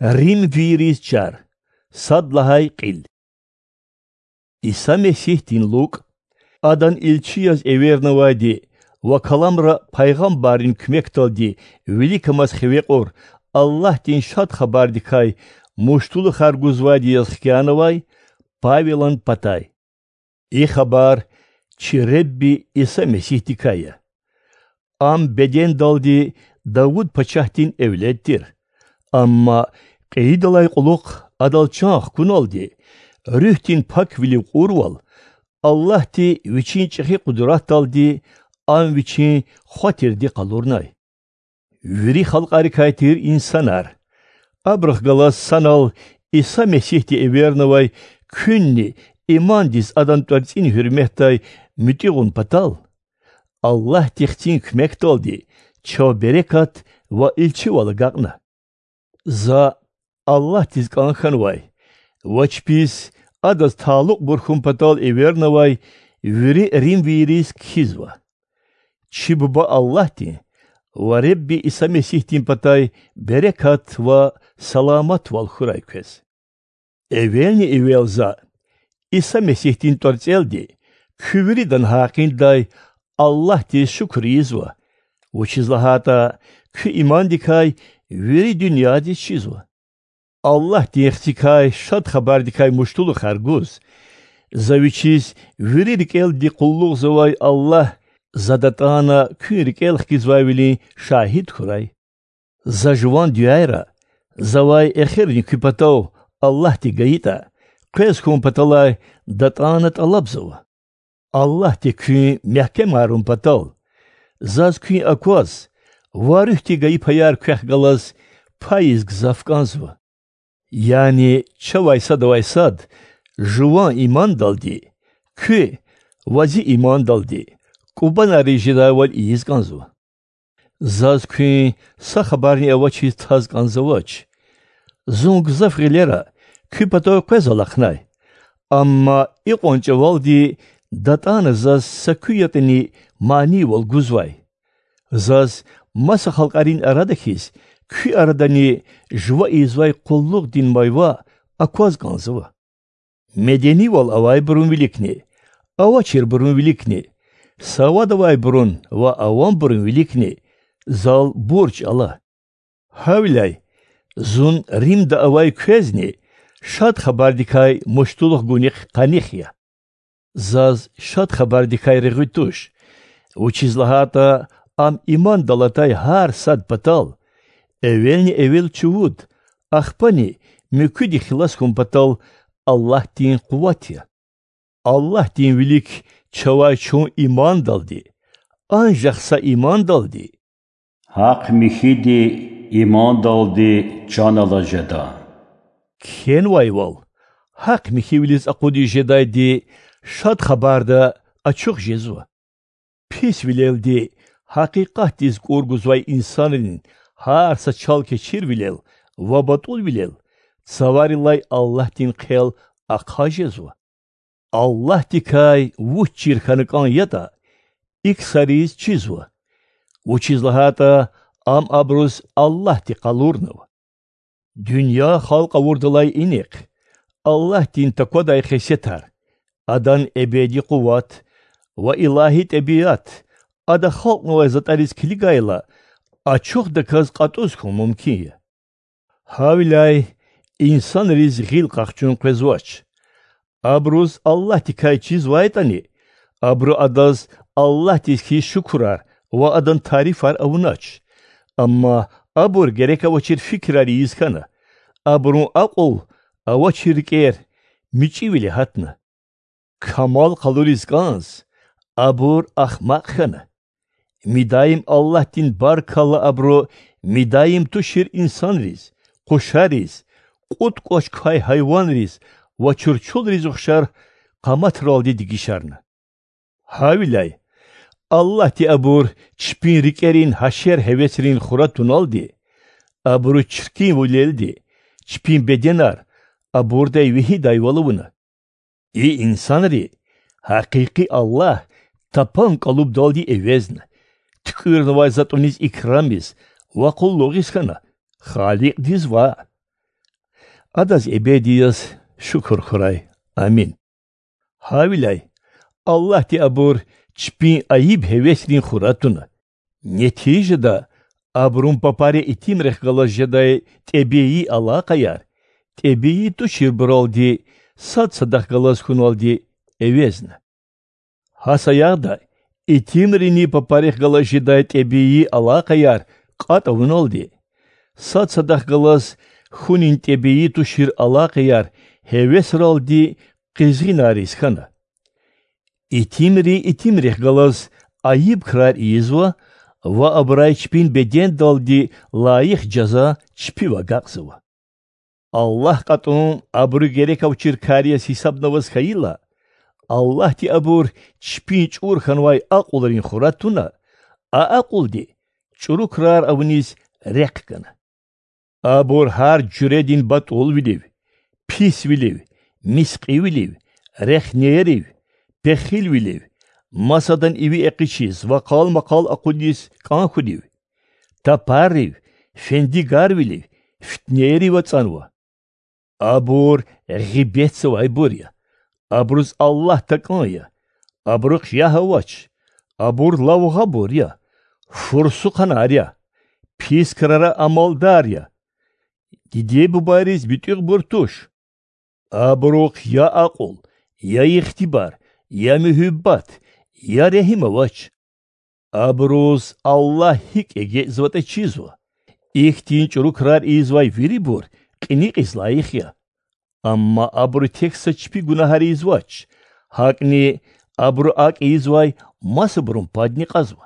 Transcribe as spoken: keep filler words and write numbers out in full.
Римвийриз чар. Сад лагьай кьил. Иса Месигьдин лукӀ, Адан илчи яз эвернавайди ва каламра пайгъамбаррин куьмекдалди виликамаз хиве кьур Аллагьдин Шад Хабардикай муштулухар гузвайди яз хкянавай Павелан патай. И хабар чи Ребби Иса Месигьдикай я. Ам бедендалди Давуд пачагьдин эвлед тир, амма кьейидалай кьулухъ Адал чан хкуналди, Руьгьдин паквилив кьурвал, Аллагьди Вичин чӀехи къудратдалди Ам Вичин Хва тирди къалурнай. Вири халкьарикай тир инсанар, абурухъ галаз санал Иса Месигьди эвернавай куьнни имандиз Адан тӀварцӀин гьуьрметдай муьтӀуьгъун патал, Аллагьди Хцин куьмекдалди чав берекат ва илчивал агакьна. За Аллагьдиз кӀан хьанвай ва чпиз Адаз талукьбур хьун патал эвернавай вири римвийриз кхьизва. Чи Буба Аллагьдин ва Ребби Иса Месигьдин патай берекат ва саламатвал хьурай квез. Эвелни-эвел за, Иса Месигьдин тӀварцӀелди, куь виридан гьакъиндай Аллагьдиз шукур ийизва, вучиз лагьайтӀа куь имандикай вири дуьньядиз чизва. Аллагьдин Хцикай Шад Хабардикай муштулухар гуз, за Вичиз вири рикӀелди къуллугъзавай Аллагь за датӀана куьн рикӀел хкизвайвилин шагьид хьурай. За жуван дуьайра, завай эхирни куь патав Аллагьди гайитӀа, къвез хьун паталай датӀана тӀалабзава. Аллагьди куьн мягькемарун патал, заз куьн акваз ва руьгьди гайи паяр квехъ галаз пайиз гзаф кӀанзава. Яни чавай садавай сад жуван имандалди, куь ва зи имандалди кӀубанар жедайвал ийиз кӀанзава. Заз куьн са хабарни авачиз таз кӀанзавач. Зун гзаф гъилера куь патав къвез алахънай, амма икьван чӀавалди датӀана заз са куь ятӀани манийвал гузвай. Заз маса халкьарин арада хьиз куь арадани жува ийизвай къуллугъдин майва акваз кӀанзава. Меденивал авайбурун виликни, авачирбурун виликни, савад авайбурун ва авамбурун виликни зал бурж ала. Гьавиляй зун Римда авай квезни Шад Хабардикай муштулух гунихъ къаних я. Заз Шад Хабардикай регъуь туш, вучиз лагьайтӀа ам имандал атай гьар сад патал, эвелни-эвел чувуд, ахпани муькуьди хилас хьун патал Аллагьдин къуват я. Аллагьдин вилик чавай чун имандалди, анжах са имандалди, гьахъ-михьиди имандалди чан алаз жеда. Кхьенвайвал, гьахъ-михьивилиз акъудиз жедайди Шад Хабарда ачух жезва. Писвилелди гьакъикъатдиз кӀур гузвай инсанрин гьар са чал-кечирвилел ва батӀулвилел цаварилай Аллагьдин хъел ахъа жезва. Аллагьдикай вуч чир хьана кӀан ятӀа, и ксариз чизва, вучиз лагьайтӀа ам абуруз Аллагьди къалурнава. Дуьнья халкь авурдалай инихъ Аллагьдин таквадай хесетар, Адан эбеди къуват ва илагьи тӀебиат Ада халкьнавай затӀариз килигайла, ачухдаказ кьатӀуз хьун мумкин я. Гьавиляй инсанриз гъил къахчун къвезвач. Абуруз Аллагьдикай чизвайтӀани, абуру Адаз Аллагьдиз хьиз шукурар ва Адан тарифар авунач. Амма абур герек авачир фикирар ийиз хьана, абурун акьул авачир рикӀер мичӀивиле гьатна. Камал къалуриз кӀанз, абур ахмакь хьана. Мидаим Аллагьдин баркалла абуру мидаим тушир инсанриз, къушариз, кьуд кӀвач квай гьайванриз ва чурчулриз ухшар къаматралди дегишарна. Гьавиляй Аллагьди абур чпин рикӀерин гьашер-гьевесрин хура туналди, абуру чиркинвилелди, чпин беденар абурдай вегьидайвал авуна. И инсанри гьакъикъи Аллагь тапан кӀалубдалди эвезна, туькӀуьрнавай затӀуниз икрамиз ва къуллугъиз хьана, Халикьдиз ваъ. Адаз эбеди яз шукур хьурай. Амин. Гьавиляй Аллагьди абур чпин айиб-гьевесрин хура туна. Нетижада абурун папари итимрихъ галаз жедай тӀебии алакъаяр, тӀебии туширбуралди, сад садахъ галаз хьуналди эвезна. Гьа саягъда итимрини папарихъ галаз жедай тӀебии алакъаяр кьатӀ авуналди, сад садахъ галаз хьунин тӀебии тушир алакъаяр гьевесралди къизгъинайриз хьана. Итимри итимрихъ галаз айиб крар ийизва ва абурай чпин бедендалди лайих жаза чпив агакьзава. Аллагь кьатӀун абуру герек авачир кар яз гьисабнаваз хьайила, Аллагьди абур чпин чӀур хьанвай акьулрин хура туна, а акьулди чӀуру крар авуниз рехъ гана. Абур гьар жуьредин батӀулвилив, писвилив, мискьивилив, рехнеярив, пехилвилив, масадан иви экъичиз ва къал-макъал акъудиз кӀан хьунив, тапаррив, фендигарвилив, фитнейрив ацӀанва. Абур гъибетзавайбур я, абуруз Аллагь такӀан я, абурухъ ягь авач, абур лавгъабур я, фурсухъанар я, пис крара амалдар я, диде-бубайриз муьтӀуьгъбур туш. Абурухъ я акьул, я ихтибар, я муьгьуьббат, я регьим авач. Абуруз Аллагь гьикӀ эгечӀзаватӀа чизва. Ихьтин чӀуру крар ийизвай вирибур кьиникьиз лайих я. Амма абуру тек са чпи гунагьар ийизвач, гьакӀни абуру акӀ ийизвай масабурун падни кьазва.